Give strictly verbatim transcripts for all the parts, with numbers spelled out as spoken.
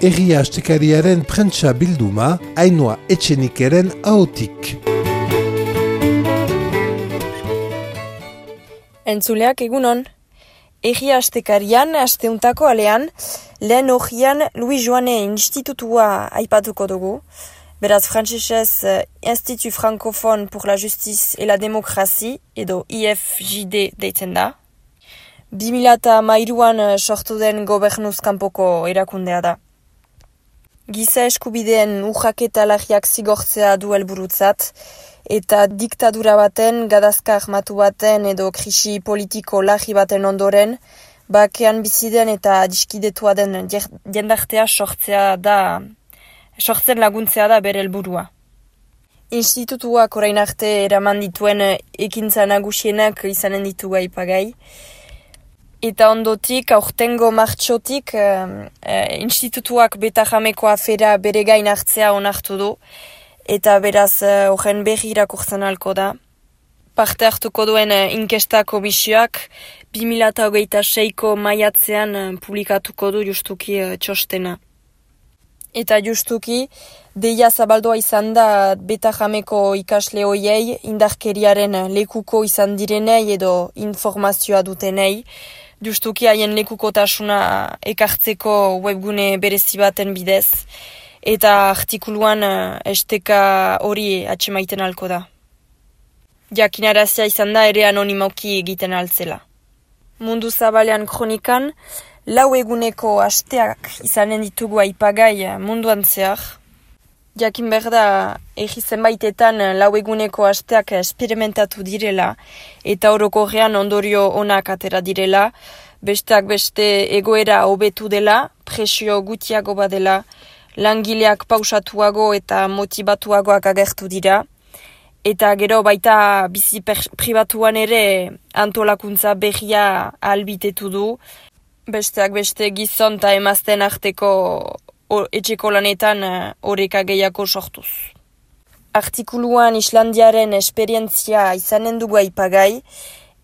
Egia Astekariaren prentsa bilduma, Ainhoa Etxenikeren ahotik. Entzuleak egunon. Egia Astekarian, asteuntako alean, lehen hogian Louis Joane institutua aipatuko dugu. Beraz, frantsesez Institut Francophone pour la Justice et la Démocratie, edo I F J D deitzen da. bi mila hamairuan sortu den gobernuz kanpoko erakundea da. Giza eskubideen urraketa larriak zigortzea du helburutzat, eta diktadura baten, gadazka armatu baten edo krisi politiko larri baten ondoren, bakean biziden eta adiskidetua den jendartea sortzea da, sortzen laguntzea da bere helburua. Institutuak orain arte eraman dituen ekintza nagusienak izanen ditu aipagai, eta ondotik, aurtengo martxotik, eh, eh, institutuak beta-jameko afera bere gain hartzea onartu du, eta beraz horren berri irakurtzen halko da. Parte hartuko duen eh, inkesta komisioak bi mila hogeita seiko maiatzean eh, publikatuko du justuki eh, txostena. Eta justuki, deia zabaldua izan da beta-jameko ikasle hoiei indarkeriaren lekuko izan direnei edo informazioa dutenei, justuki haien lekukotasuna ekartzeko webgune berezi baten bidez, eta artikuluan uh, esteka hori atxemaiten halko da. Jakinarazia izan da ere anonimoki egiten altzela. Mundu Zabalean kronikan, lau eguneko asteak izanen ditugu aipagai munduan zehar. Jakin behar da, egi zenbaitetan lau eguneko asteak esperimentatu direla, eta orokorrean ondorio onak atera direla, besteak beste egoera hobetu dela, presio gutiago badela, langileak pausatuago eta motivatuagoak agertu dira, eta gero baita bizi pribatuan ere antolakuntza berria albitetu du, besteak beste gizon eta emazten arteko etxeko lanetan oreka gehiago sortuz. Artikuluan Islandiaren esperientzia izanen dugu aipagai,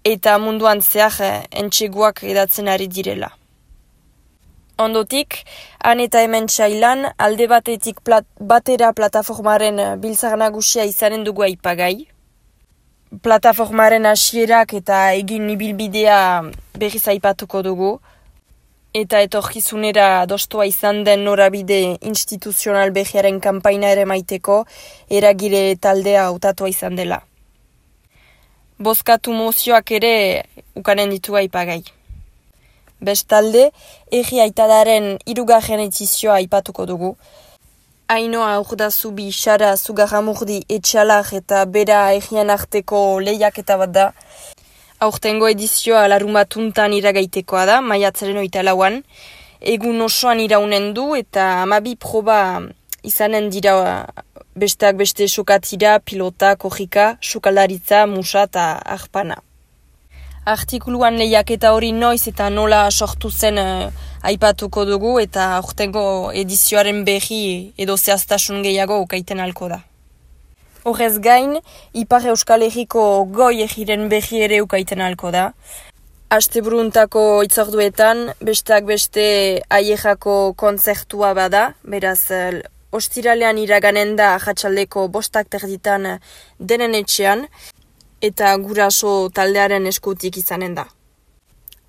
eta munduan zehar entxeguak edatzen ari direla. Ondotik, han eta hemen txailan, alde batetik plat, batera plataformaren biltzar nagusia izanen dugu aipagai. Plataformaren hasierak eta egin ibilbidea berriz aipatuko dugu, eta etorkizunera dostoa izan den norabide instituzional berriaren kanpaina ere maiteko eragile taldea hautatua izan dela. Bozkatu mozioak ere ukanen ditu aipagai. Bestalde, Egi Aitadaren hirugarren edizioa aipatuko dugu. Ainhoa Urdazubi, Sara Zugarramurdi, Etxalar eta Bera Egian arteko lehiaketa bat da. Aurtengo edizioa larunbatuntan iragaitekoa da, maiatzaren hogeita lauan. Egun osoan iraunen du eta hamabi proba izanen dira besteak beste sokatira, pilota, korrika, sukaldaritza, musa eta arpana. Artikuluan lehiaketa hori noiz eta nola sortu zen uh, aipatuko dugu eta aurtengo edizioaren berri edo zehaztasun gehiago ukaiten halko da. Horrez gain, Ipar Euskal Herriko goi egiren berri ere ukaiten halko da. Asteburuntako itzorduetan, besteak beste aiejako kontzertua bada, beraz, uh, ostiralean iraganen da jatsaldeko bostak terditan denen etxean, eta guraso taldearen eskutik izanen da.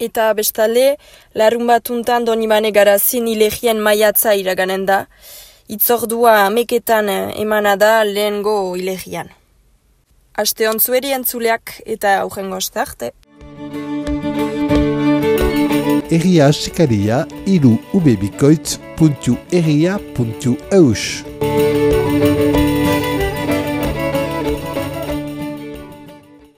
Eta bestalde, larun batuntan Donibane Garazin ilegien maiatza iraganen da, itzordua ameketan emana da lehengo ilegian. Aste ontzueri entzuleak eta aurrengo arte. Egia Astekaria hiru ubebikoitz puntu egia puntu eus.